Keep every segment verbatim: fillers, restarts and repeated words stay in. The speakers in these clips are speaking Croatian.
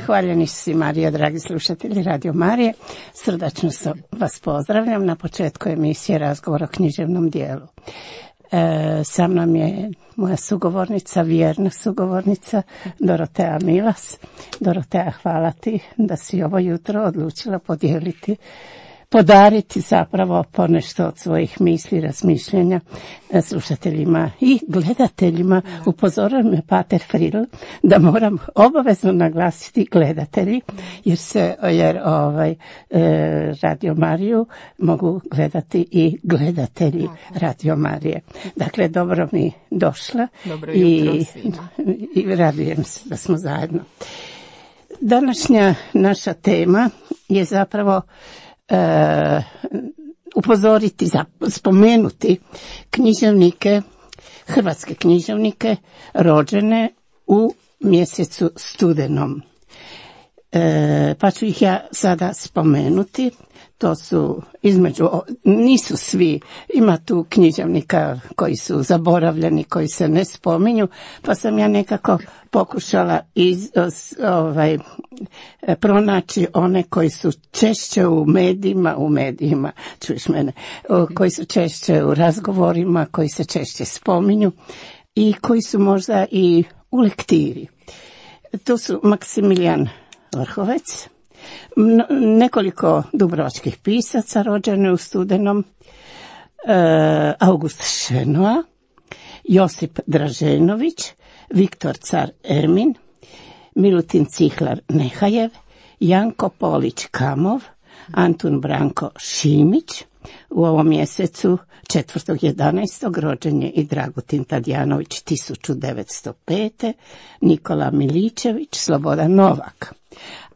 Hvaljeni si Marija, dragi slušatelji Radio Marije. Srdačno vas pozdravljam na početku emisije Razgovor o književnom dijelu. E, sa mnom je moja sugovornica, vjerna sugovornica, Dorotea Milas. Dorotea, hvala ti da si ovo jutro odlučila podijeliti, podariti zapravo ponešto od svojih misli, razmišljenja slušateljima i gledateljima. Upozorio me Pater Fridl da moram obavezno naglasiti gledatelji, jer se jer ovaj e, Radio Mariju mogu gledati i gledatelji Radio Marije. Dakle, dobro mi došla. Dobro jutro i, svima. i radujem se da smo zajedno. Današnja naša tema je zapravo Uh, upozoriti, za, spomenuti književnike, hrvatske književnike rođene u mjesecu studenom. Uh, pa ću ih ja sada spomenuti. To su između, nisu svi, ima tu književnika koji su zaboravljeni, koji se ne spominju, pa sam ja nekako pokušala iz, ovaj, pronaći one koji su češće u medijima, u medijima, čuješ mene, koji su češće u razgovorima, koji se češće spominju i koji su možda i u lektiri. To su Maksimilijan Vrhovec, nekoliko dubrovačkih pisaca rođene u studenom, e, August Šenoa, Josip Draženović, Viktor Car Ermin, Milutin Cihlar Nehajev, Janko Polić Kamov, Antun Branko Šimić. U ovom mjesecu četvrtog jedanaestog rođen je i Dragutin Tadjanović tisuću devetsto pete. Nikola Miličević, Slobodan Novak.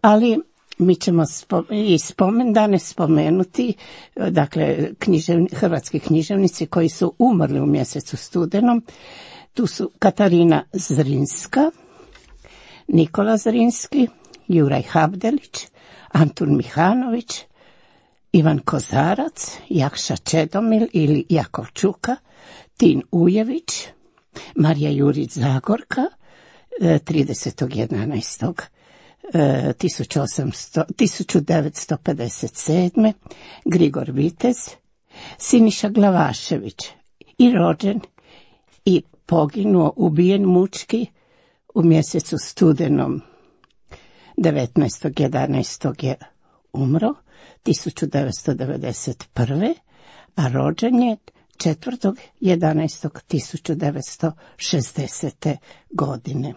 Ali mi ćemo i spomendane spomenuti, dakle, književni, hrvatski književnici koji su umrli u mjesecu studenom. Tu su Katarina Zrinska, Nikola Zrinski, Juraj Habdelić, Antun Mihanović, Ivan Kozarac, Jakša Čedomil ili Jakov Čuka, Tin Ujević, Marija Jurić Zagorka, tridesetog jedanaestog tisuću devetsto pedeset sedme. Grigor Vitez, Siniša Glavašević, i rođen i poginuo, ubijen mučki u mjesecu studenom. devetnaestog jedanaestog je umro, tisuću devetsto devedeset prve. a rođen je četvrtog jedanaestog tisuću devetsto šezdesete. godine.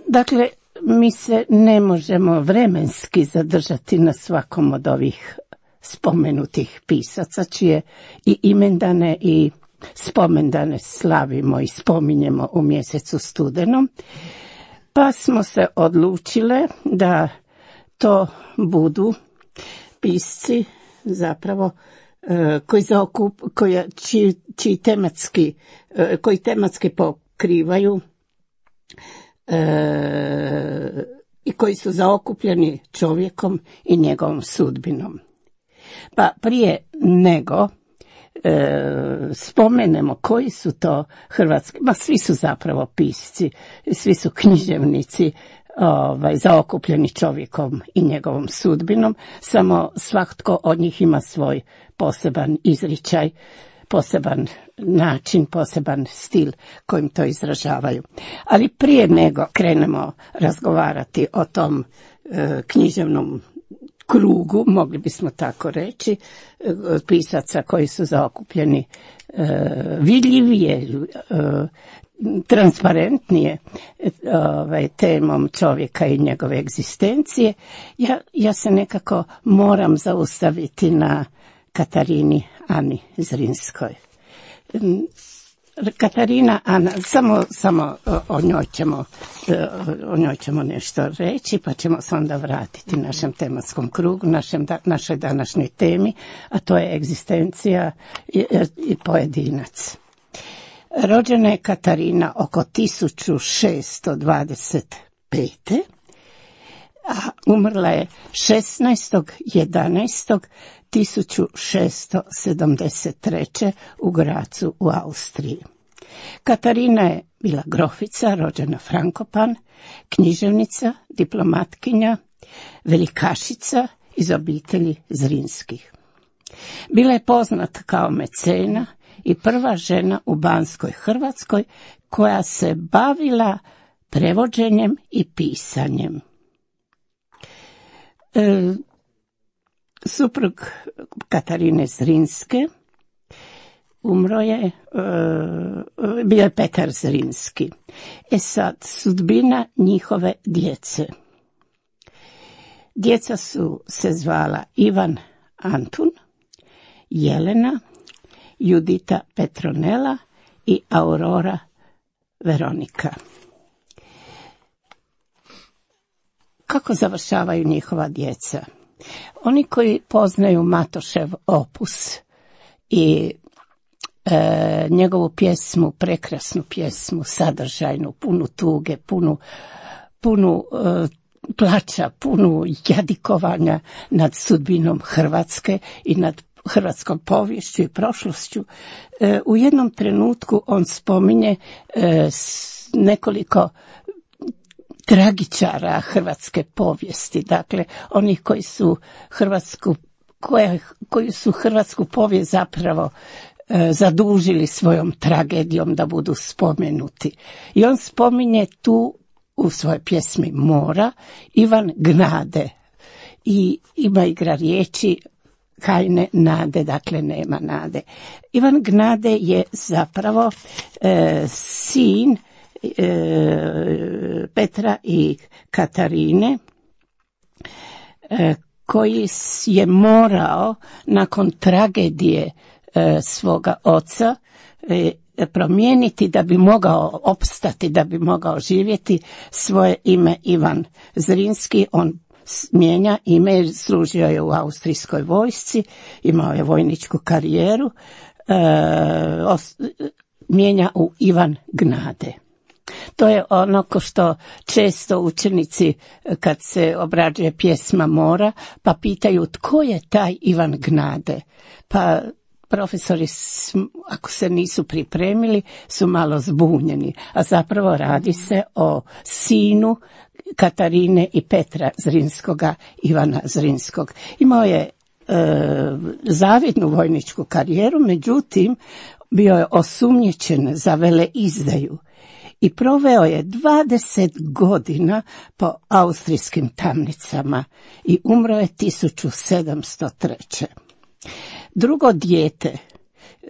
Dakle, mi se ne možemo vremenski zadržati na svakom od ovih spomenutih pisaca, čije i imendane i spomendane slavimo i spominjemo u mjesecu studenom, pa smo se odlučile da to budu pisci zapravo koji zaokup, koji, čiji, čiji tematski, koji tematski pokrivaju e, i koji su zaokupljeni čovjekom i njegovom sudbinom. Pa prije nego e, spomenemo koji su to hrvatski, ma svi su zapravo pisci, svi su književnici, ovaj, zaokupljeni čovjekom i njegovom sudbinom, samo svatko od njih ima svoj poseban izričaj, poseban način, poseban stil kojim to izražavaju. Ali prije nego krenemo razgovarati o tom e, književnom krugu, mogli bismo tako reći, e, pisaca koji su zaokupljeni e, vidljivije, e, transparentnije ovaj, temom čovjeka i njegove egzistencije, ja, ja se nekako moram zaustaviti na Katarini Ani Zrinskoj. Katarina Ana, samo, samo o njoj ćemo, o njoj ćemo nešto reći, pa ćemo se onda vratiti našem tematskom krugu, našem, našoj današnjoj temi, a to je egzistencija i, i pojedinac. Rođena je Katarina oko tisuću šesto dvadeset pete. a umrla je šesnaestog jedanaestog tisuću šesto sedamdeset treće. u Grazu u Austriji. Katarina je bila grofica, rođena Frankopan, književnica, diplomatkinja, velikašica iz obitelji Zrinskih. Bila je poznata kao mecena i prva žena u Banskoj Hrvatskoj koja se bavila prevođenjem i pisanjem. E, suprug Katarine Zrinske umro je, e, bio je Petar Zrinski. E sad, sudbina njihove djece. Djeca su se zvala Ivan Antun, Jelena, Judita Petronela i Aurora Veronika. Kako završavaju njihova djeca? Oni koji poznaju Matošev opus i e, njegovu pjesmu, prekrasnu pjesmu, sadržajnu, punu tuge, punu, punu e, plača, punu jadikovanja nad sudbinom Hrvatske i nad hrvatskom poviješću i prošlošću. E, u jednom trenutku on spominje e, nekoliko tragičara hrvatske povijesti, dakle onih koji su Hrvatsku, koje, koji su hrvatsku povijest zapravo e, zadužili svojom tragedijom da budu spomenuti. I on spominje tu u svojoj pjesmi Mora Ivan Gnade i ima igra riječi Kajne nade, dakle nema nade. Ivan Gnade je zapravo e, sin e, Petra i Katarine e, koji je morao nakon tragedije e, svoga oca e, promijeniti da bi mogao opstati, da bi mogao živjeti, svoje ime Ivan Zrinski. On mijenja ime jer služio je u austrijskoj vojsci, imao je vojničku karijeru, e, os, mijenja u Ivan Gnade. To je ono ko što često učenici kad se obrađuje pjesma Mora pa pitaju tko je taj Ivan Gnade, pa profesori, ako se nisu pripremili, su malo zbunjeni, a zapravo radi se o sinu Katarine i Petra Zrinskoga, Ivana Zrinskog. Imao je e, zavidnu vojničku karijeru, međutim, bio je osumnjičen za veleizdaju i proveo je dvadeset godina po austrijskim tamnicama i umro je tisuću sedamsto treće. Drugo dijete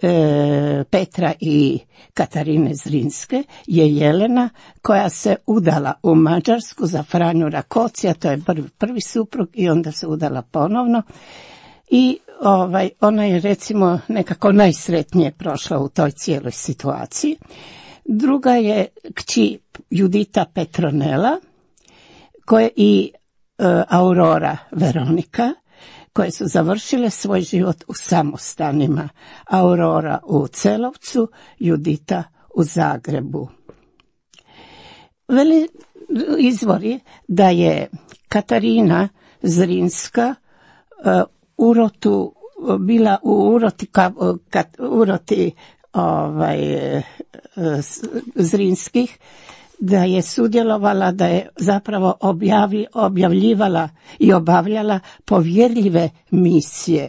e, Petra i Katarine Zrinske je Jelena, koja se udala u Mađarsku za Franju Rakocija, to je prvi, prvi suprug, i onda se udala ponovno i ovaj, ona je recimo nekako najsretnije prošla u toj cijeloj situaciji. Druga je kći Judita Petronela koje i e, Aurora Veronika, koje su završile svoj život u samostanima. Aurora u Celovcu, Judita u Zagrebu. Veli izvori da je Katarina Zrinska uh, urotu, bila u uroti, ka, kat, uroti ovaj, uh, Zrinskih, da je sudjelovala, da je zapravo objavi, objavljivala i obavljala povjerljive misije.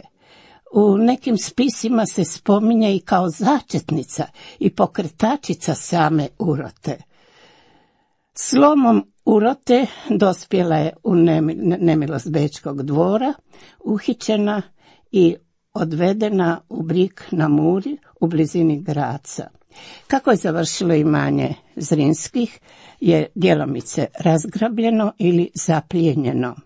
U nekim spisima se spominje i kao začetnica i pokretačica same urote. Slomom urote dospjela je u nemilost Bečkog dvora, uhićena i odvedena u Brik na Muri u blizini Graca. Kako je završilo imanje Zrinskih je djelomice razgrabljeno ili zaplijenjeno.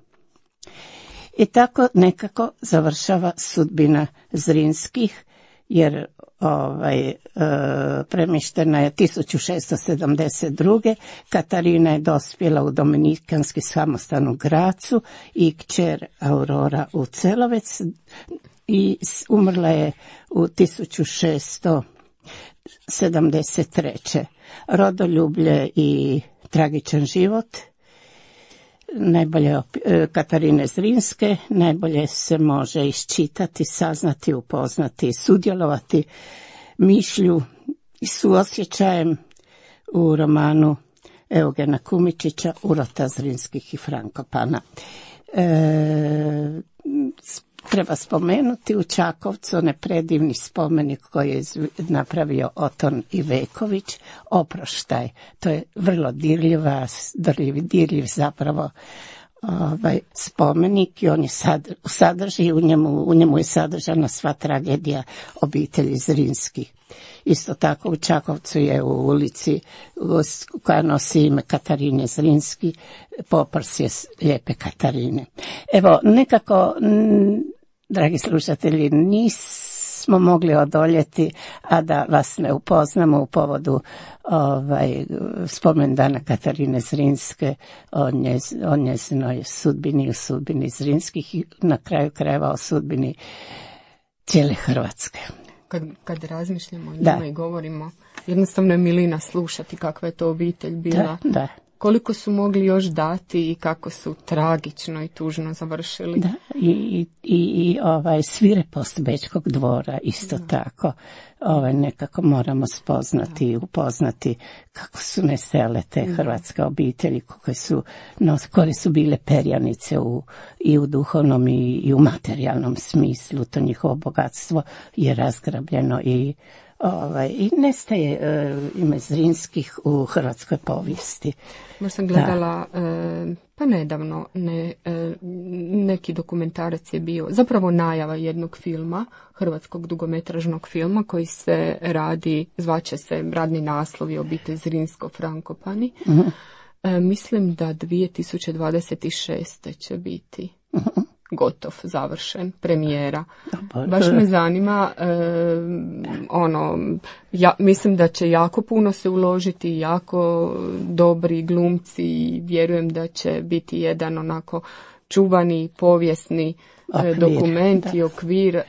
I tako nekako završava sudbina Zrinskih, jer ovaj, e, premještena je tisuću šesto sedamdeset druge. Katarina je dospjela u dominikanski samostan u Gracu i kćer Aurora u Celovec i umrla je u tisuću šesto sedamdeset treće. Rodoljublje i tragičan život najbolje Katarine Zrinske najbolje se može iščitati, saznati, upoznati, sudjelovati mišlju i suosjećajem u romanu Eugena Kumičića Urota Zrinskih i Frankopana. E, treba spomenuti u Čakovcu onaj predivni spomenik koji je napravio Oton Iveković, Oproštaj. To je vrlo dirljiva, dirljiv, dirljiv zapravo ovaj spomenik i on je sad, sadrži, u njemu, u njemu je sadržana sva tragedija obitelji Zrinskih. Isto tako u Čakovcu je u ulici koja nosi ime Katarine Zrinski poprsje Lijepe Katarine. Evo, nekako, dragi slušatelji, nismo mogli odoljeti, a da vas ne upoznamo u povodu ovaj, spomendana Katarine Zrinske o, njez, o njezinoj sudbini, o sudbini Zrinskih i na kraju krajeva o sudbini cijele Hrvatske. Kad, kad razmišljamo o njima i govorimo, jednostavno je milina slušati kakva je to obitelj bila. Da, da. Koliko su mogli još dati i kako su tragično i tužno završili. Da, i, i, i ovaj svirepost Bečkog dvora isto da. Tako. Ovaj, nekako moramo spoznati i upoznati kako su nestajale te da. Hrvatske obitelji, koje su, no, koje su bile perjanice u, i u duhovnom i, i u materijalnom smislu. To njihovo bogatstvo je razgrabljeno i Ovaj, i nestaje uh, ime Zrinskih u hrvatskoj povijesti. Možda sam gledala uh, pa nedavno ne, uh, neki dokumentarac je bio, zapravo najava jednog filma, hrvatskog dugometražnog filma koji se radi, zvaće se radni naslovi Obitelj Zrinsko Frankopani. Uh-huh. Uh, mislim da dvije tisuće dvadeset šeste će biti. Uh-huh. Gotov, završen, premijera. Baš me zanima, e, ono, ja mislim da će jako puno se uložiti, jako dobri glumci i vjerujem da će biti jedan onako čuvani, povijesni okvir, dokument da. I okvir e,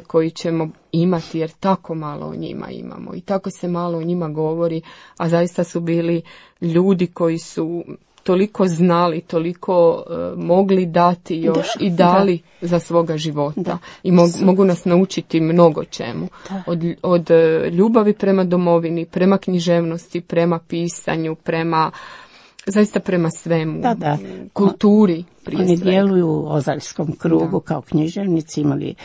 koji ćemo imati jer tako malo o njima imamo i tako se malo o njima govori, a zaista su bili ljudi koji su toliko znali, toliko uh, mogli dati još da, i dali da. Za svoga života. Da. I mog, mogu nas naučiti mnogo čemu. Od, od uh, ljubavi prema domovini, prema književnosti, prema pisanju, prema zaista prema svemu, da, da. Kulturi prije Oni svega. Djeluju u Ozaljskom krugu da. Kao književnici, imali,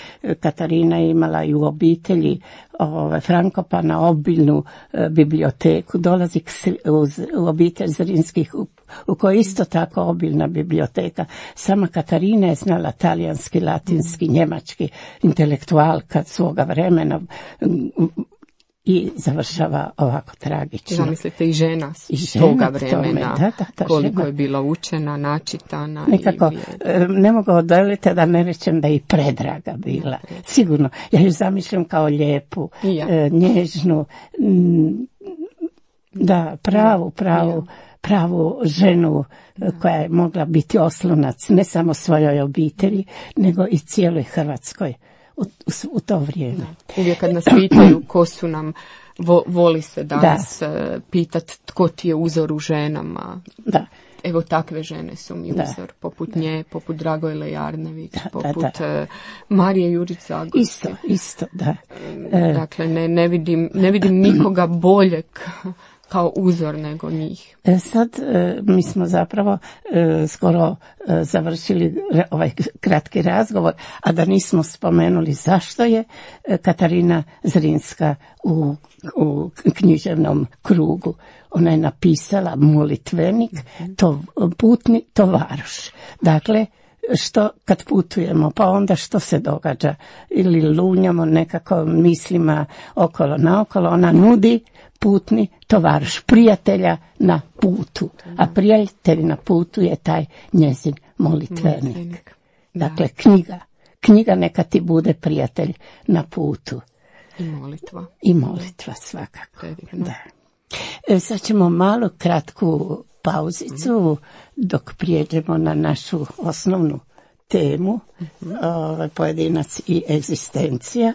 Katarina je imala i u obitelji ove, Frankopana obiljnu e, biblioteku, dolazi k, uz, u obitelj Zrinskih u, u kojoj isto tako obiljna biblioteka. Sama Katarina je znala talijanski, latinski, mm. njemački, intelektualka svoga vremena, i završava ovako tragično. Zamislite i žena s I žena toga vremena, da, da, da, koliko žena. Je bila učena, načitana. Nekako, i ne mogu odoljiti da ne rečem da je i predraga bila. Sigurno, ja ju zamišljam kao lijepu, ja. nježnu, da, pravu, pravu, ja. pravu ženu da. Koja je mogla biti oslonac ne samo svojoj obitelji, nego i cijeloj Hrvatskoj. U, u, u to vrijeme. Da. Uvijek kad nas pitaju ko su nam, vo, voli se danas da. Pitat tko ti je uzor u ženama. Da. Evo takve žene su mi da. Uzor, poput da. Nje, poput Dragojle Jarnević, da, poput da, da. Marije Jurice Agosti. Isto, isto, da. Dakle, ne, ne, vidim, ne vidim nikoga boljeg kao uzor nego njih. Sad mi smo zapravo skoro završili ovaj kratki razgovor, a da nismo spomenuli zašto je Katarina Zrinska u, u književnom krugu. Ona je napisala molitvenik, to, putni tovaruš. Dakle, što kad putujemo, pa onda što se događa? Ili lunjamo nekako mislima okolo naokolo, ona nudi putni tovaruš, prijatelja na putu. A prijatelj na putu je taj njezin molitvenik. Dakle, knjiga. Knjiga neka ti bude prijatelj na putu. I molitva. I molitva svakako. Da. E, sad ćemo malo kratku pauzicu dok prijeđemo na našu osnovnu temu, mm-hmm. ovaj, pojedinac i egzistencija.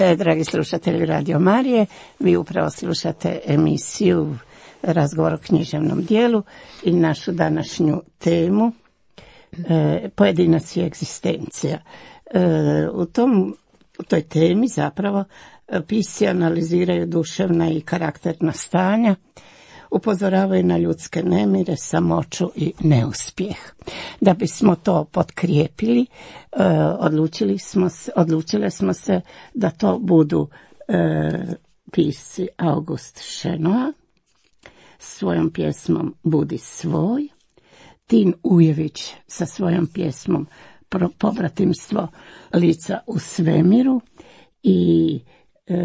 E, dragi slušatelji Radio Marije, vi upravo slušate emisiju Razgovor o književnom dijelu i našu današnju temu e, Pojedinac i egzistencija. E, u, tom, u toj temi zapravo pisci analiziraju duševna i karakterna stanja, upozoravaju na ljudske nemire, samoću i neuspjeh. Da bismo to potkrijepili, e, odlučili smo se, odlučile smo se da to budu e, pisci August Šenoa svojom pjesmom Budi svoj, Tin Ujević sa svojom pjesmom Pobratimstvo lica u svemiru i e,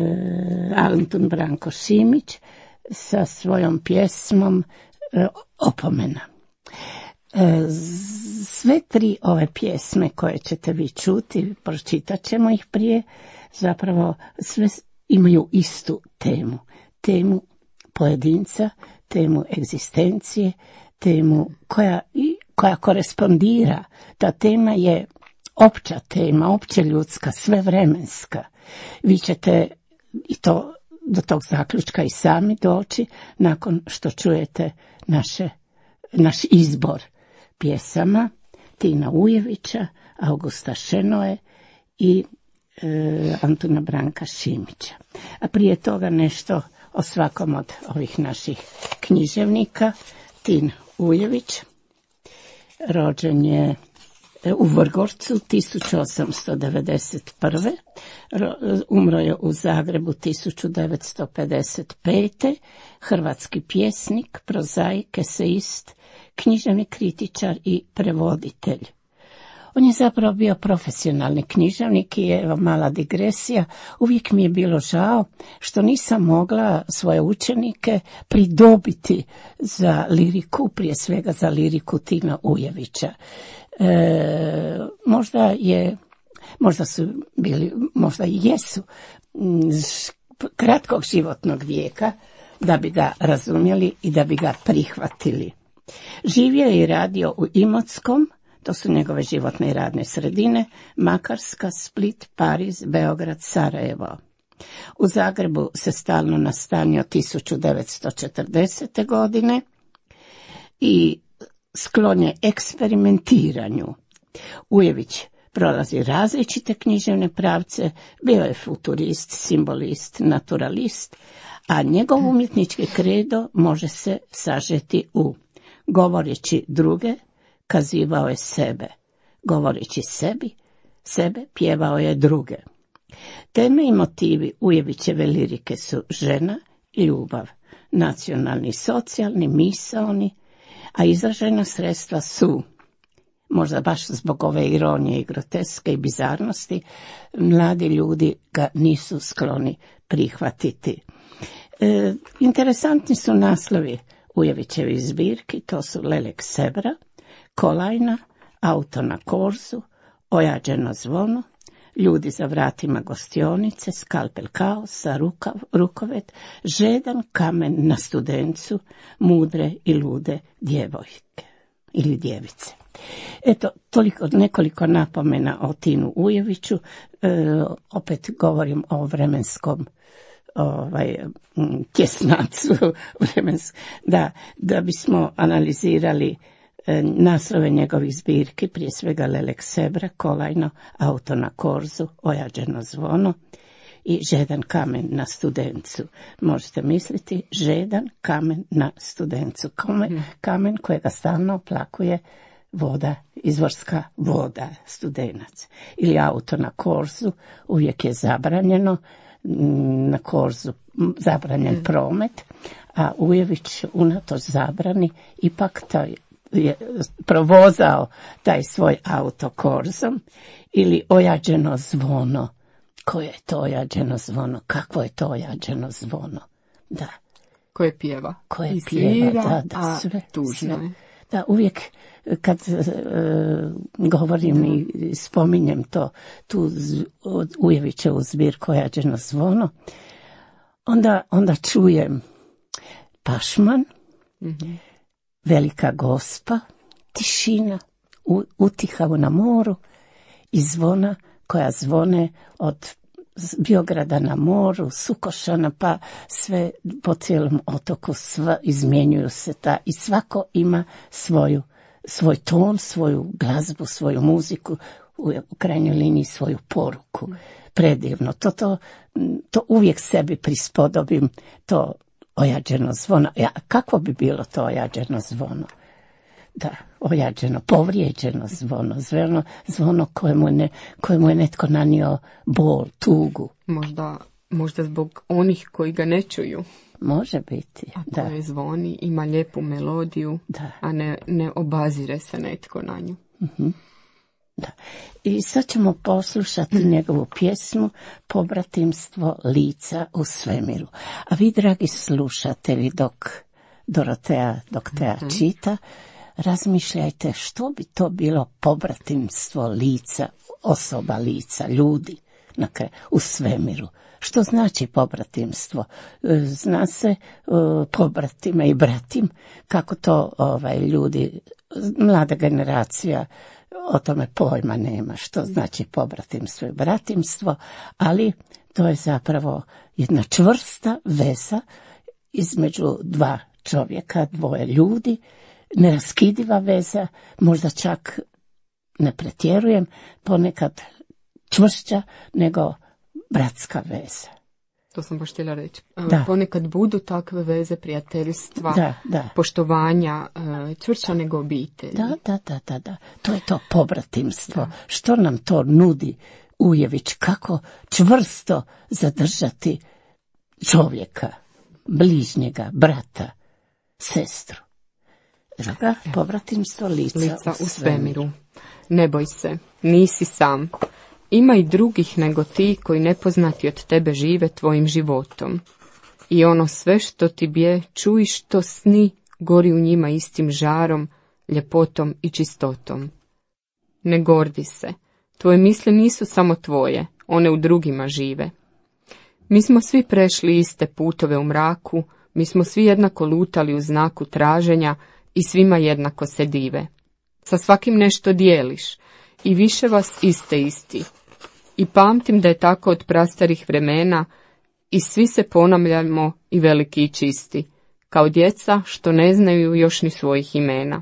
Antun Branko Šimić sa svojom pjesmom e, Opomena. E, sve tri ove pjesme koje ćete vi čuti, pročitat ćemo ih prije, zapravo sve imaju istu temu. Temu pojedinca, temu egzistencije, temu koja, koja korespondira. Ta tema je opća tema, opće ljudska, svevremenska. Vi ćete i to do tog zaključka i sami doći nakon što čujete naše, naš izbor pjesama Tina Ujevića, Augusta Šenoe i e, Antuna Branka Šimića. A prije toga nešto o svakom od ovih naših književnika. Tin Ujević rođen je u Vrgorcu tisuću osamsto devedeset prve. Umro je u Zagrebu tisuću devetsto pedeset pete. Hrvatski pjesnik, prozaik, eseist, književni kritičar i prevoditelj. On je zapravo bio profesionalni književnik i evo mala digresija, uvijek mi je bilo žao što nisam mogla svoje učenike pridobiti za liriku, prije svega za liriku Tina Ujevića. E, možda je, možda su bili, možda i jesu kratkog životnog vijeka da bi ga razumjeli i da bi ga prihvatili. Živio je i radio u Imotskom, to su njegove životne i radne sredine, Makarska, Split, Pariz, Beograd, Sarajevo. U Zagrebu se stalno nastanio tisuću devetsto četrdesete godine i sklon je eksperimentiranju. Ujević prolazi različite književne pravce, bio je futurist, simbolist, naturalist, a njegov umjetnički kredo može se sažeti u govoreći druge, kazivao je sebe, govoreći sebi, sebe pjevao je druge. Teme i motivi Ujevićeve lirike su žena i ljubav, nacionalni, socijalni, misaoni, a izražena sredstva su, možda baš zbog ove ironije i groteske i bizarnosti, mladi ljudi ga nisu skloni prihvatiti. E, interesantni su naslovi Ujevićevi zbirki, to su Lelek Sebra, Kolajna, Auto na korzu, Ojađeno zvono, Ljudi za vratima gostionice, Skalpel kaosa, rukav, rukovet, Žedan kamen na studencu, Mudre i lude djevojke ili djevice. Eto, toliko, nekoliko napomena o Tinu Ujeviću, e, opet govorim o vremenskom ovaj, tjesnacu, vremens, da, da bismo analizirali naslove njegovih zbirki, prije svega Lelek Sebra, Kolajno, Auto na korzu, Ojađeno zvono i Žedan kamen na studencu. Možete misliti, Žedan kamen na studencu, kamen, kamen kojega stalno oplakuje voda, izvorska voda, studenac. Ili Auto na korzu, uvijek je zabranjeno, na korzu zabranjen promet, a Ujević unatoč zabrani ipak taj je provozao taj svoj auto korzom. Ili Ojađeno zvono. Koje je to ojađeno zvono? Kakvo je to ojađeno zvono? Da. Koje pjeva. Koje pjeva, da, da, sve. Tužno je. Da, uvijek kad uh, govorim i spominjem to, tu Ujevićevu zbirku Ojađeno zvono, onda, onda čujem Pašman, mm-hmm. Velika Gospa, tišina, u, utiha na moru i zvona koja zvone od Biograda na moru, Sukošana, pa sve po cijelom otoku, sva, izmjenjuju se ta i svako ima svoju, svoj ton, svoju glazbu, svoju muziku, u, u krajnjoj liniji svoju poruku. Predivno. To, to, to uvijek sebi prispodobim, to ojađeno zvono. Ja, kako bi bilo to ojađeno zvono? Da, ojađeno, povrijeđeno zvono, zvono, zvono kojemu, ne, kojemu je netko nanio bol, tugu. Možda, možda zbog onih koji ga ne čuju. Može biti, a da. koje zvoni, ima lijepu melodiju, da. a ne, ne obazire se netko na nju. Uh-huh. Da. I sad ćemo poslušati njegovu pjesmu Pobratimstvo lica u svemiru. A vi, dragi slušatelji, dok Dorotea, dok Teja uh-huh. čita, razmišljajte što bi to bilo pobratimstvo lica, osoba lica, ljudi na kraju, u svemiru. Što znači pobratimstvo? Zna se uh, pobratime i bratim, kako to ovaj, ljudi, mlada generacija o tome pojma nema, što znači pobratimstvo i bratimstvo, ali to je zapravo jedna čvrsta veza između dva čovjeka, dvoje ljudi, neraskidiva veza, možda čak, ne pretjerujem, ponekad čvršća nego bratska veza. To sam baš htjela reći. Da. Ponekad budu takve veze prijateljstva, da, da. poštovanja, čvršća nego obitelj. Da, da, da, da, da. To je to pobratimstvo. Da. Što nam to nudi Ujević? Kako čvrsto zadržati čovjeka, bližnjega, brata, sestru. Druga, pobratimstvo lica, lica u u svemiru. svemiru. Ne boj se, nisi sam. Ima i drugih nego ti koji nepoznati od tebe žive tvojim životom. I ono sve što ti bje, čuj što sni, gori u njima istim žarom, ljepotom i čistotom. Ne gordi se, tvoje misli nisu samo tvoje, one u drugima žive. Mi smo svi prešli iste putove u mraku, mi smo svi jednako lutali u znaku traženja i svima jednako se dive. Sa svakim nešto dijeliš i više vas iste isti. I pamtim da je tako od prastarih vremena i svi se ponavljamo i veliki i čisti, kao djeca što ne znaju još ni svojih imena.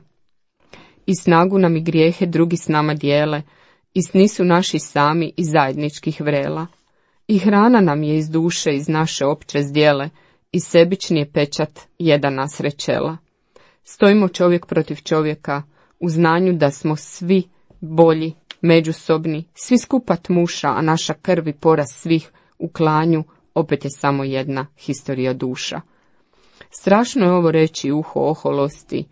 I snagu nam i grijehe drugi s nama dijele, i sni su naši sami i zajedničkih vrela. I hrana nam je iz duše, iz naše opće zdjele, i sebični je pečat jedan nas rečela. Stojimo čovjek protiv čovjeka, u znanju da smo svi bolji, međusobni, svi skupa tmuša, a naša krv i poraz svih u klanju opet je samo jedna historija duša. Strašno je ovo reći uho oholosti,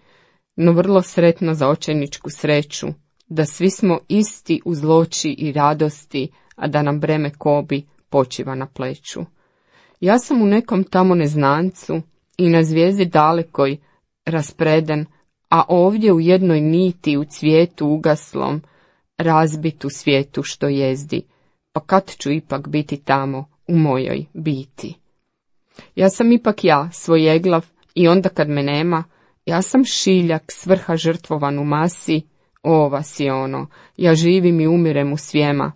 no vrlo sretno za očajničku sreću, da svi smo isti u zloči i radosti, a da nam breme kobi počiva na pleću. Ja sam u nekom tamo neznancu i na zvijezdi dalekoj raspreden, a ovdje u jednoj niti u cvijetu ugaslom, razbit u svijetu što jezdi, pa kad ću ipak biti tamo u mojoj biti. Ja sam ipak ja, svoj eglav, i onda kad me nema, ja sam šiljak svrha žrtvovan u masi, o vas i ono, ja živim i umirem u svijema,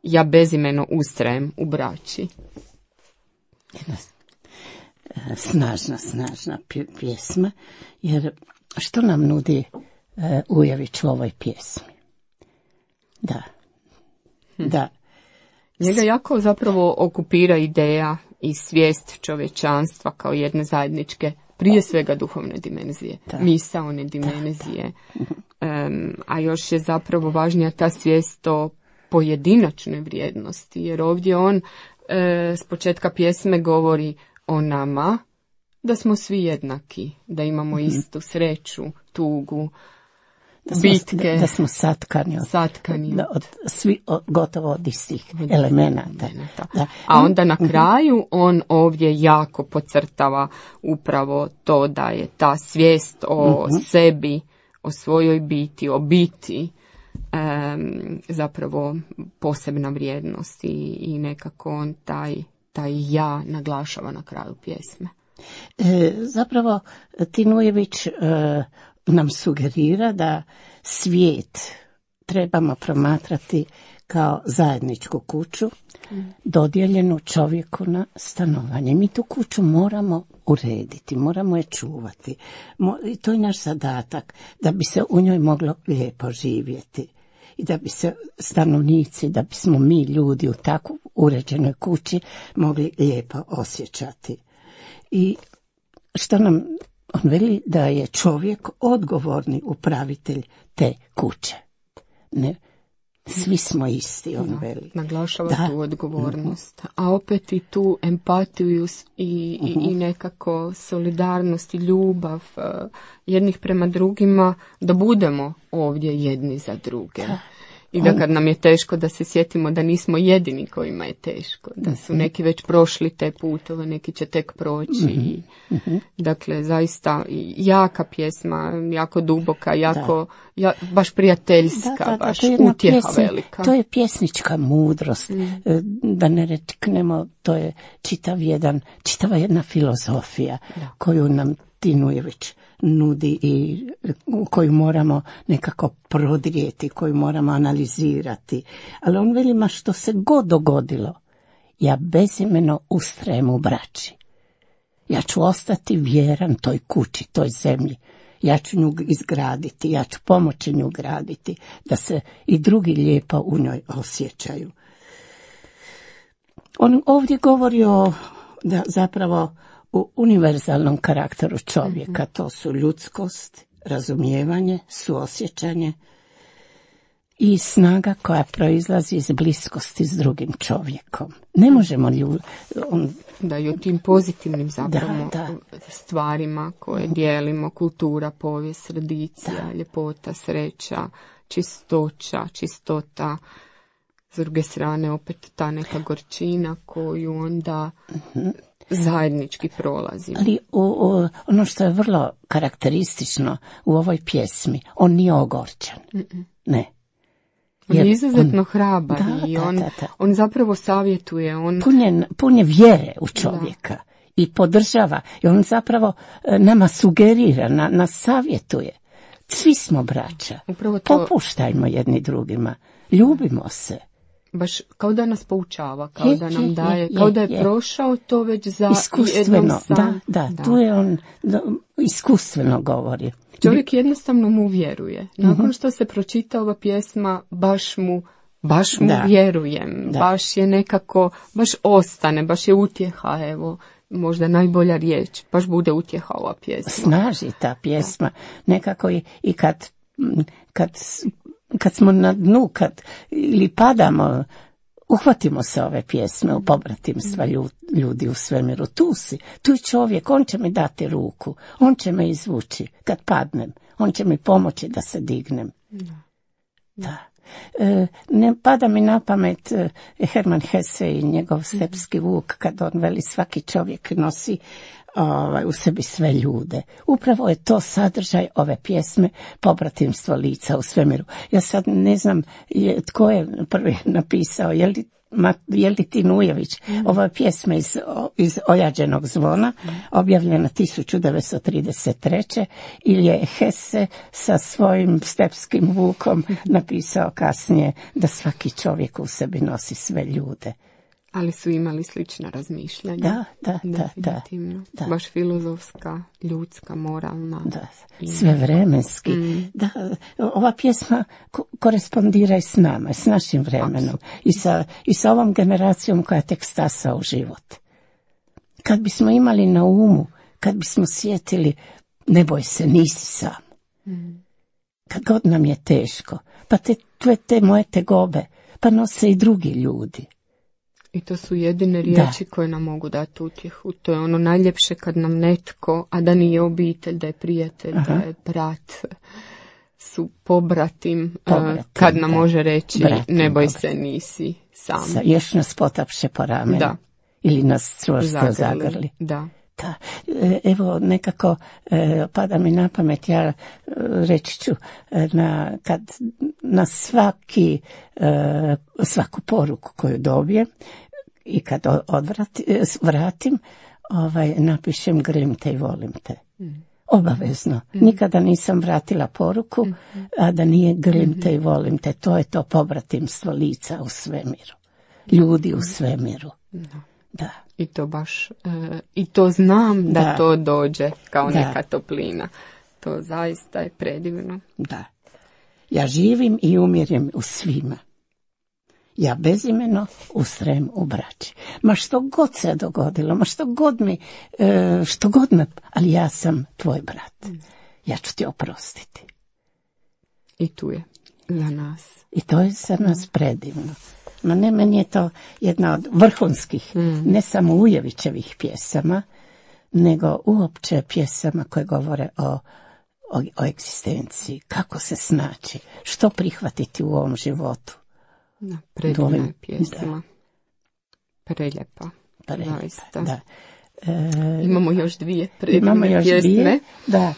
ja bezimeno ustrajem u braći. Snažna, snažna pjesma, jer što nam nudi uh, Ujević u ovoj pjesmi? Da, hm. da. Njega jako zapravo okupira ideja i svijest čovječanstva kao jedne zajedničke, prije svega duhovne dimenzije, da. Misaone dimenzije, da, da. Um, a još je zapravo važnija ta svijest o pojedinačnoj vrijednosti, jer ovdje on uh, s početka pjesme govori o nama, da smo svi jednaki, da imamo mm-hmm. istu sreću, tugu, da smo, bitke. Da, da smo satkani od, satkani. Da, od svi od, gotovo od istih elemenata. Da. A onda na kraju on ovdje jako podcrtava upravo to da je ta svijest o mm-hmm. sebi, o svojoj biti, o biti, um, zapravo posebna vrijednost i, i nekako on taj, taj ja naglašava na kraju pjesme. E, zapravo Tin Ujević e, nam sugerira da svijet trebamo promatrati kao zajedničku kuću dodijeljenu čovjeku na stanovanje. Mi tu kuću moramo urediti, moramo je čuvati. I to je naš zadatak, da bi se u njoj moglo lijepo živjeti. I da bi se stanovnici, da bismo mi ljudi u tako uređenoj kući mogli lijepo osjećati. I što nam on veli, da je čovjek odgovorni upravitelj te kuće. Ne, svi smo isti, on da, veli. Naglašava da. tu odgovornost. A opet i tu empatiju i, i, i nekako solidarnost i ljubav uh, jednih prema drugima, da budemo ovdje jedni za druge. Da. I da kad nam je teško, da se sjetimo da nismo jedini kojima je teško. Da su neki već prošli te putove, neki će tek proći. Mm-hmm. Dakle, zaista jaka pjesma, jako duboka, jako, ja, baš prijateljska, da, da, da, baš utjeha pjesma, velika. To je pjesnička mudrost. Mm. Da ne reknemo, to je čitav jedan, čitava jedna filozofija da. Koju nam Tinujević nudi i koju moramo nekako prodrijeti, koju moramo analizirati. Ali on veli, ma što se god dogodilo, ja bezimeno ustrajem u braći. Ja ću ostati vjeran toj kući, toj zemlji. Ja ću nju izgraditi, ja ću pomoći nju graditi, da se i drugi lijepo u njoj osjećaju. On ovdje govori o, da zapravo, u univerzalnom karakteru čovjeka. To su ljudskost, razumijevanje, suosjećanje i snaga koja proizlazi iz bliskosti s drugim čovjekom. Ne možemo ljudi... On... Da, i o tim pozitivnim zapravo da, da. stvarima koje dijelimo, kultura, povijest, tradicija, da. ljepota, sreća, čistoća, čistota. S druge strane opet ta neka gorčina koju onda... Mm-hmm. zajednički prolazi. Ali u, u, ono što je vrlo karakteristično u ovoj pjesmi, on nije ogorčan. Mm-mm. Ne. On je izuzetno on, hrabar da, i on, da, da, da. on zapravo savjetuje. On... Pun je, pun je vjere u čovjeka da. i podržava. I on zapravo nama sugerira, na, nas savjetuje. Svi smo braća. Upravo to... Popuštajmo jedni drugima. Ljubimo se. Baš kao da nas poučava, kao je, da nam je, daje, je, kao da je, je prošao to već za iskustveno, sam. Da, da, da, tu je on da, iskustveno govori. Čovjek jednostavno mu vjeruje. Nakon uh-huh. što se pročita ova pjesma, baš mu, baš mu da. vjerujem, da. baš je nekako, baš ostane, baš je utjeha, evo, možda najbolja riječ, baš bude utjeha ova pjesma. Snaži ta pjesma, da. nekako i, i kad, kad kad smo na dnu, kad ili padamo, uhvatimo se ove pjesme u pobratimstva ljudi u svemiru. Tu si, tu je čovjek, on će mi dati ruku, on će me izvući kad padnem, on će mi pomoći da se dignem. Da. da. E, ne pada mi na pamet e, Herman Hesse i njegov Stepski vuk, kad on veli svaki čovjek nosi Ovaj, u sebi sve ljude. Upravo je to sadržaj ove pjesme Pobratimstvo lica u svemiru. Ja sad ne znam je, tko je prvi napisao, je li, ma, je li Tinujević. Mm. Ova pjesma iz, iz Ojađenog zvona, mm. objavljena tisuću devetsto trideset treće ili je Hesse sa svojim Stepskim vukom napisao kasnije da svaki čovjek u sebi nosi sve ljude. Ali su imali slična razmišljanja. Da, da, da, da, da. Baš filozofska, ljudska, moralna. Da, sve vremenski. Mm. Da, ova pjesma ko- korespondira i s nama, i s našim vremenom. I sa, i sa ovom generacijom koja tek stasa u život. Kad bismo imali na umu, kad bismo sjetili, ne boj se, nisi sam. Mm. Kad god nam je teško, pa te, te, te moje tegobe, pa nose i drugi ljudi. I to su jedine riječi da. koje nam mogu dati utjehu. To je ono najljepše kad nam netko, a da nije obitelj, da je prijatelj, Aha. da je brat, su pobratim, pobratim kad nam da. može reći bratim, ne boj se, nisi sam. Sa, još nas potapše po ramenu. Da. Ili nas čvrsto zagrli. Da. Da. Evo nekako e, pada mi na pamet, ja e, reći ću na, kad na svaki e, svaku poruku koju dobijem i kad odvrati, vratim, ovaj, napišem grem te i volim te. Mm. obavezno. Mm. Nikada nisam vratila poruku, mm. a da nije grlim te i volim te. To je to pobratimstvo lica u svemiru. Ljudi u svemiru. Da. Da. I to baš, e, i to znam da, da to dođe kao da. neka toplina. To zaista je predivno. Da. Ja živim i umirim u svima. Ja bezimeno ustrajem u braći. Ma što god se dogodilo, ma što god mi, e, što god me, ali ja sam tvoj brat. Ja ću ti oprostiti. I tu je za nas. I to je za nas predivno. Ma ne, meni je to jedna od vrhunskih, mm. ne samo Ujevićevih pjesama, nego uopće pjesama koje govore o, o, o egzistenciji. Kako se snaći, što prihvatiti u ovom životu. Da, predivna je pjesma. Preljepa. Preljepa, da. E, imamo još dvije predivne imamo još pjesme. Dvije, da,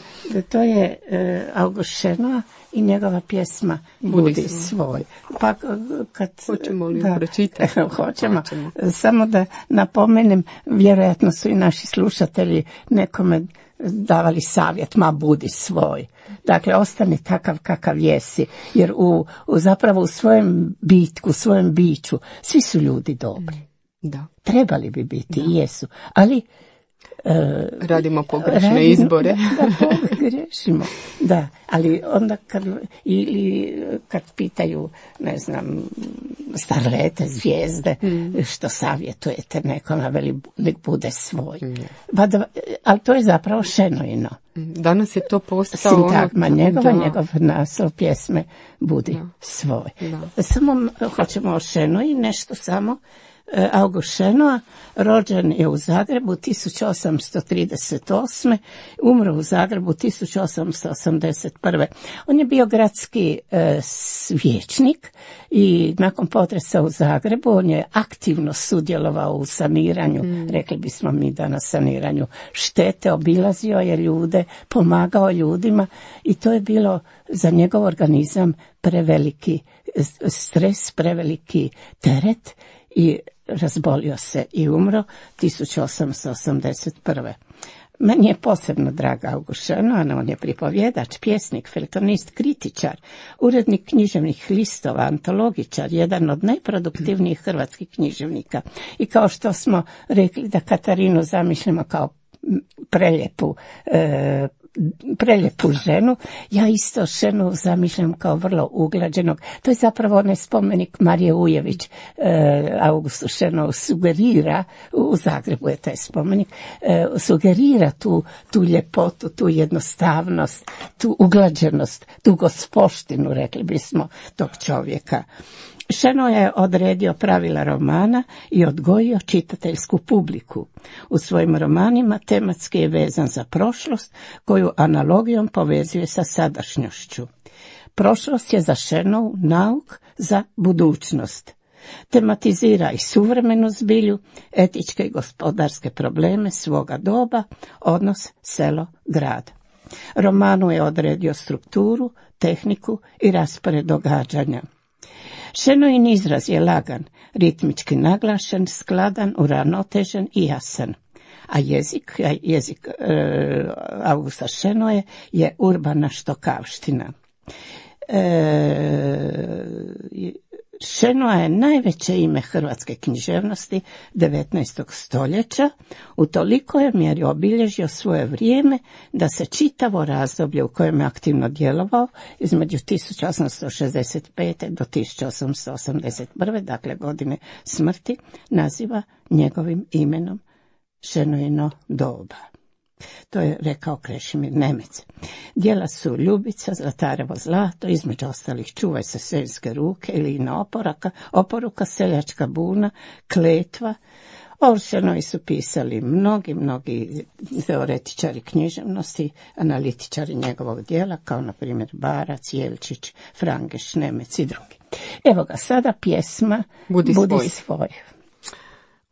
to je e, August Šenoa i njegova pjesma Budi, Budi svoj. Pa kad hoćemo li da, pročitati? Hoćemo. hoćemo. Samo da napomenem, vjerojatno su i naši slušatelji nekome davali savjet, ma budi svoj. Dakle, ostani takav kakav jesi, jer u, u zapravo u svojem bitku, u svojem biću, svi su ljudi dobri. Da. Trebali bi biti i jesu, ali e, radimo pogrešne radimo, izbore. Da, da, grešimo. Da, ali onda kad, ili kad pitaju, ne znam, starlete, zvijezde, mm. što savjetujete nekome, veli nek bude svoj. Mm. Ba da, ali to je zapravo Šenoino. Danas je to postao sintagma ono, njegova, da. njegov naslov pjesme Budi da. svoj. Da. Samo hoćemo o Šenoji nešto samo. August Šenoa rođen je u Zagrebu tisuću osamsto trideset osme. Umro u Zagrebu tisuću osamsto osamdeset prve. On je bio gradski e, vijećnik i nakon potresa u Zagrebu on je aktivno sudjelovao u saniranju, mm. rekli bismo mi da na saniranju štete, obilazio je ljude, pomagao ljudima i to je bilo za njegov organizam preveliki stres, preveliki teret i razbolio se i umro tisuću osamsto osamdeset prve. Meni je posebno draga August Šenoa, on je pripovjedač, pjesnik, feltonist, kritičar, urednik književnih listova, antologičar, jedan od najproduktivnijih hrvatskih književnika. I kao što smo rekli da Katarinu zamišljamo kao preljepu e, preljepu ženu, ja isto Šenu zamišljam kao vrlo uglađenog. To je zapravo onaj spomenik Marije Ujević, e, Augustu Šenovu sugerira, u Zagrebu je taj spomenik, e, sugerira tu, tu ljepotu, tu jednostavnost, tu uglađenost, tu gospoštinu, rekli bismo, tog čovjeka. Šenoa je odredio pravila romana i odgojio čitateljsku publiku. U svojim romanima tematski je vezan za prošlost, koju analogijom povezuje sa sadašnjošću. Prošlost je za Šenovu nauk za budućnost. Tematizira i suvremenu zbilju, etičke i gospodarske probleme svoga doba, odnos selo-grad. Romanu je odredio strukturu, tehniku i raspored događanja. Šenoin izraz je lagan, ritmički naglašen, skladan, uravnotežen i jasan. A jezik, jezik e, Augusta Šenoe je urbana štokavština. E, Šenoa je najveće ime hrvatske književnosti devetnaestog stoljeća, u toliko je mjeri obilježio svoje vrijeme da se čitavo razdoblje u kojem je aktivno djelovao između tisuću osamsto šezdeset pete do tisuću osamsto osamdeset prve. dakle godine smrti, naziva njegovim imenom Šenoino doba. To je rekao Krešimir Nemec. Djela su Ljubica, Zlatarevo zlato, između ostalih Čuvaj se seljske ruke ili na oporaka, oporuka, Seljačka buna, Kletva. O Šenoji su pisali mnogi, mnogi teoretičari književnosti, analitičari njegovog djela, kao na primjer Barac, Jelčić, Frangeš, Nemec i drugi. Evo ga, sada pjesma Budi, budi svoj. svoj.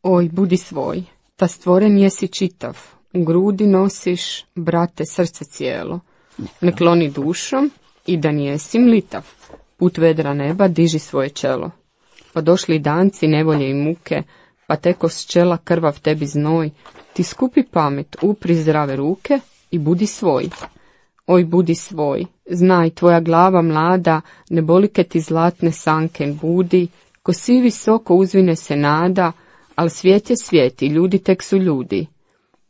Oj, budi svoj, ta stvoren jesi čitav. U grudi nosiš, brate, srce cijelo. Ne kloni dušom i da nijesi mlitav. Put vedra neba diži svoje čelo. Pa došli danci nevolje i muke, pa teko s čela krvav tebi znoj. Ti skupi pamet, upri zdrave ruke i budi svoj. Oj, budi svoj, znaj, tvoja glava mlada, ne bolike ti zlatne sanke budi, ko si visoko uzvine se nada, al svijet je svijet i ljudi tek su ljudi.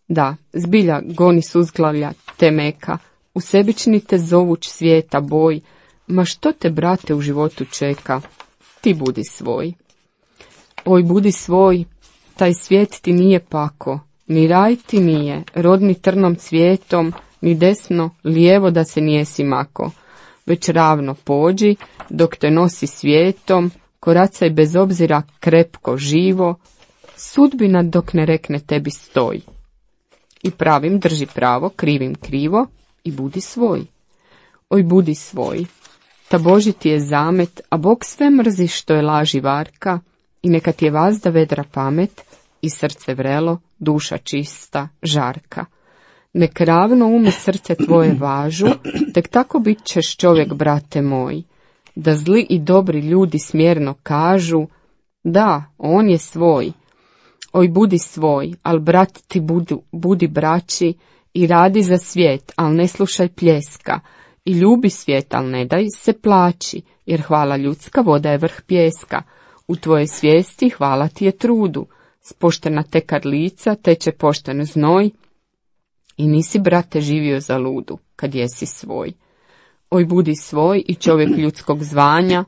Da, zbilja goni suzglavlja te meka, u sebični te zovuć svijeta boj, ma što te, brate, u životu čeka, ti budi svoj. Oj, budi svoj, taj svijet ti nije pako, ni raj ti nije, rodni trnom cvijetom, ni desno, lijevo da se nijesi mako, već ravno pođi, dok te nosi svijetom, koracaj bez obzira krepko živo, sudbina dok ne rekne tebi stoj. I pravim drži pravo, krivim krivo i budi svoj. Oj, budi svoj, ta Boži ti je zamet, a Bog sve mrzi što je laži varka, i neka ti je vazda vedra pamet, i srce vrelo, duša čista, žarka. Nek ravno um i srce tvoje važu, tek tako bit ćeš čovjek, brate moj, da zli i dobri ljudi smjerno kažu, da, on je svoj. Oj, budi svoj, al brat ti budu, budi braći, i radi za svijet, al ne slušaj pljeska, i ljubi svijet, al ne daj se plaći, jer hvala ljudska voda je vrh pjeska, u tvoje svijesti hvala ti je trudu, spoštena te kad lica teče pošten znoj, i nisi, brate, živio za ludu, kad jesi svoj. Oj, budi svoj i čovjek ljudskog zvanja,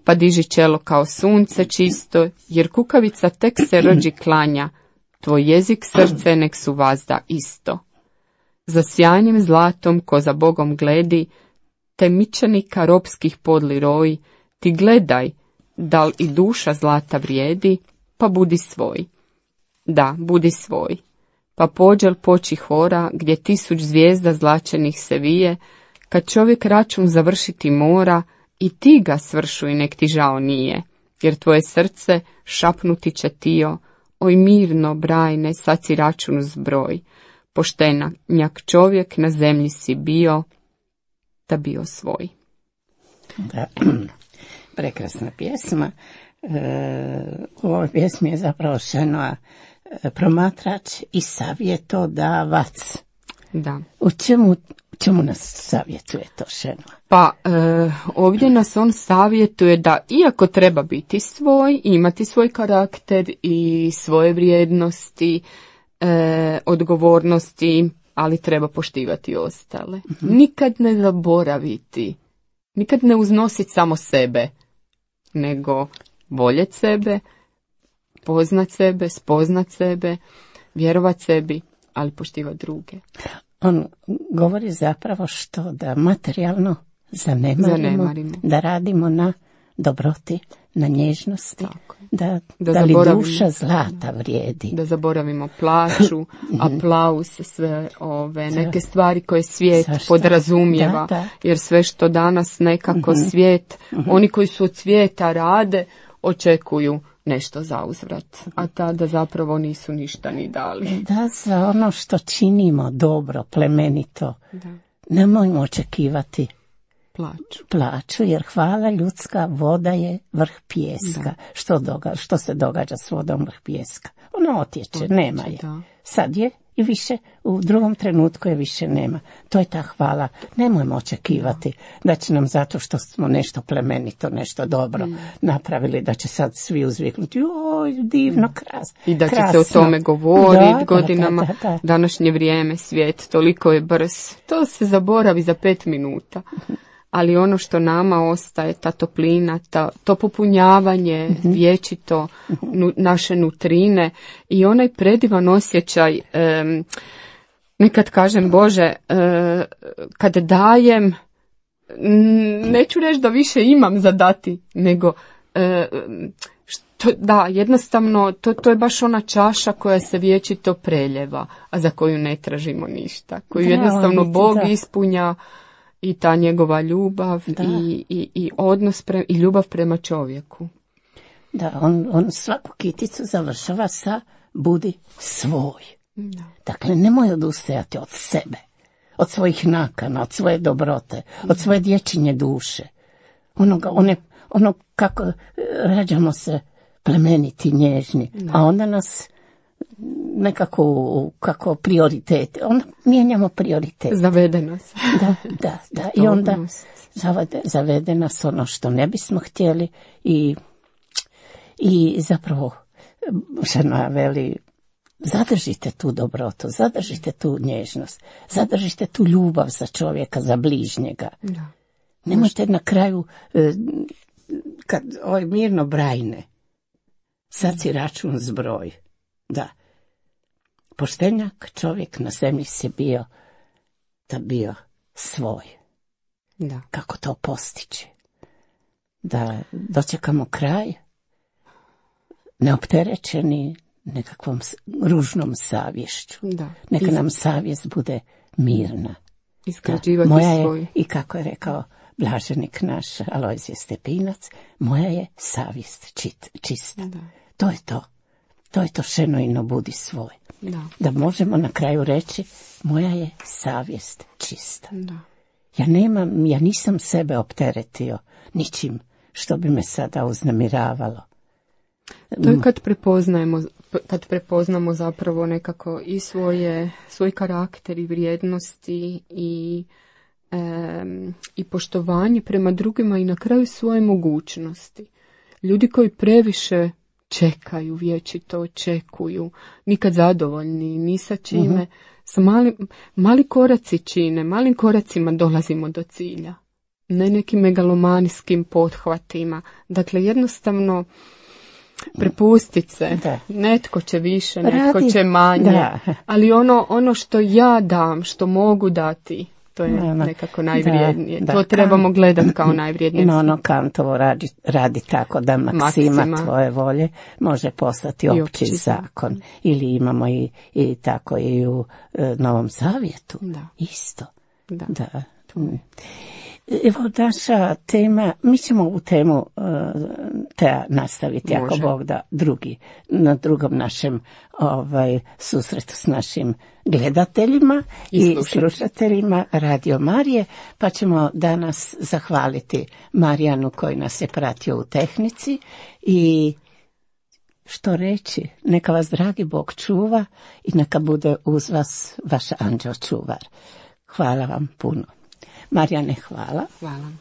pa diži čelo kao sunce čisto, jer kukavica tek se rođi klanja, tvoj jezik, srce nek su vazda isto. Za sjajnim zlatom ko za Bogom gledi, te mičanika ropskih podli roji, ti gledaj, dal i duša zlata vrijedi, pa budi svoj. Da, budi svoj. Pa pođel poči hora, gdje tisuć zvijezda zlačenih se vije, kad čovjek račun završiti mora, i ti ga svršuj, nek ti žao nije, jer tvoje srce šapnuti će tio, oj mirno, brajne, sad si račun zbroj, poštenjak čovjek na zemlji si bio, da bio svoj. Da, prekrasna pjesma. E, u ovoj pjesmi je zapravo Šenoa promatrač i savjetodavac. Da. U čemu, čemu nas savjetuje to Šenoa? Pa e, ovdje nas on savjetuje da iako treba biti svoj, imati svoj karakter i svoje vrijednosti, e, odgovornosti, ali treba poštivati ostale. Mm-hmm. Nikad ne zaboraviti, nikad ne uznositi samo sebe, nego voljeti sebe, poznat sebe, spoznat sebe, vjerovat sebi, ali poštivati druge. On govori zapravo što da materijalno zanemarimo, zanemarimo. Da radimo na dobroti, na nježnosti, da, da, da li duša zlata vrijedi. Da zaboravimo plaću, aplauz, sve ove neke stvari koje svijet Zašto? podrazumijeva, da, da. Jer sve što danas nekako mm-hmm. svijet, mm-hmm. oni koji su od svijeta rade, očekuju nešto za uzvrat, a tada zapravo nisu ništa ni dali. Da, za ono što činimo dobro, plemenito, da. Nemojmo očekivati plaću. plaću, jer hvala ljudska voda je vrh pijeska. Što, doga, što se događa s vodom vrh pijeska? Ona otječe, otječe nema je. Da. Sad je i više, u drugom trenutku je više nema. To je ta hvala. Nemojmo očekivati da, da će nam zato što smo nešto plemenito, nešto dobro mm. napravili, da će sad svi uzviknuti, oj, divno, kras, I da će krasno. se o tome govoriti godinama. Da, da, da. Današnje vrijeme, svijet, toliko je brz. To se zaboravi za pet minuta. Ali ono što nama ostaje, ta toplina, ta, to popunjavanje mm-hmm. vječito, nu, naše nutrine i onaj predivan osjećaj, um, nekad kažem, Bože, uh, kad dajem, neću reći da više imam za dati, nego uh, što, da, jednostavno, to, to je baš ona čaša koja se vječito preljeva, a za koju ne tražimo ništa, koju da, jednostavno biti, Bog da. ispunja. I ta njegova ljubav i, i, i odnos pre, i ljubav prema čovjeku. Da, on, on svaku kiticu završava sa budi svoj. Da. Dakle, nemoj odustajati od sebe, od svojih nakana, od svoje dobrote, da. Od svoje dječinje duše. Onoga, one, ono kako rađamo se plemeniti, nježni, da. A onda nas nekako kako prioritete. Onda mijenjamo prioritete. Zavede nas. Da, da, da. I onda zavede, zavede nas ono što ne bismo htjeli i, i zapravo žena veli, zadržite tu dobrotu, zadržite tu nježnost, zadržite tu ljubav za čovjeka, za bližnjega. Da. Nemojte na kraju, kad ovaj mirno brajne, sad si račun zbroj. Da. Poštenjak čovjek na zemlji si bio, da bio svoj. Da. Kako to postići? Da dočekamo kraj, neopterećeni nekakvom ružnom savješću. Da. Neka Iz... nam savjest bude mirna. Iskrađivati moja je, svoj. I kako je rekao blaženik naš Alojzije Stepinac, moja je savjest čit, čista. Da. To je to. To je to šenojno budi svoj. Da. Da možemo na kraju reći, moja je savjest čista. Da. Ja nemam, ja nisam sebe opteretio ničim što bi me sada uznemiravalo. To je kad prepoznajemo, kad prepoznamo zapravo nekako i svoje, svoj karakter i vrijednosti i, e, i poštovanje prema drugima i na kraju svoje mogućnosti. Ljudi koji previše čekaju, vječito očekuju, nikad zadovoljni, ni sa čime, uh-huh. sa mali, mali koraci čine, malim koracima dolazimo do cilja. Ne nekim megalomanijskim pothvatima. Dakle, jednostavno prepustit se. Da. Netko će više, netko Radi. će manje. Da. Ali ono, ono što ja dam, što mogu dati, to je no, no. nekako najvrijednije. Da, to da, trebamo gledati kao najvrijednije. No, ono Kantovo radi, radi tako da maksima, maksima tvoje volje može postati opći, opći zakon. Ili imamo i, i tako i u e, Novom Zavjetu. Da. Isto. Da. da. Evo naša tema, mi ćemo u temu uh, te nastaviti, Može. ako Bog da, drugi, na drugom našem ovaj, susretu s našim gledateljima i, i slušateljima Radio Marije, pa ćemo danas zahvaliti Marijanu koji nas je pratio u tehnici i što reći, neka vas dragi Bog čuva i neka bude uz vas vaš anđeo čuvar. Hvala vam puno. Marijane, hvala. Hvala.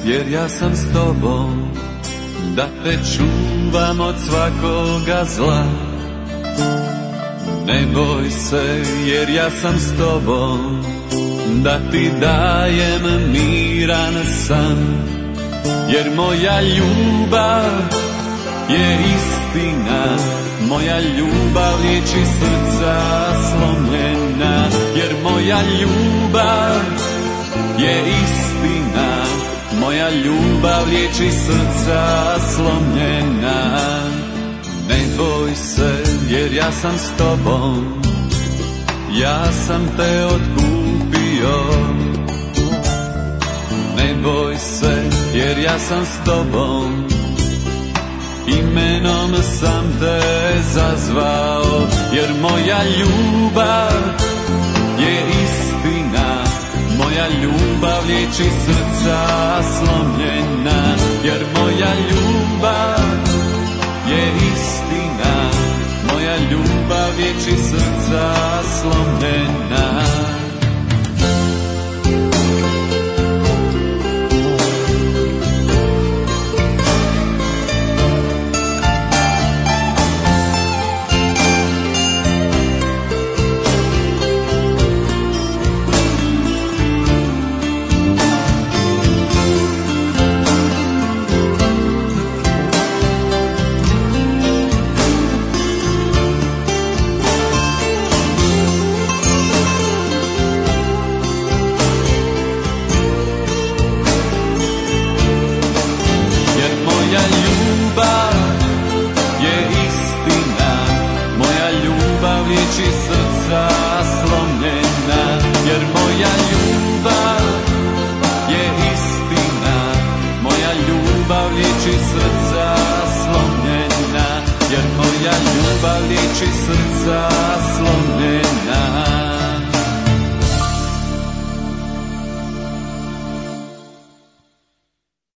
Jer ja sam s tobom, da te čuvam od svakoga zla. Ne boj se, jer ja sam s tobom, da ti dajem miran san. Jer moja ljubav je istina, moja ljubav liječi srca slomljena. Jer moja ljubav je istina, moja ljubav liječi srca slomljena. Ne boj se, jer ja sam s tobom, ja sam te otkupio. Ne boj se, jer ja sam s tobom, imenom sam te zazvao. Jer moja ljubav je istina, moja ljubav liječi srca slomljena. Jer moja ljubav je istina, moja ljubav liječi srca slomljena. oči srca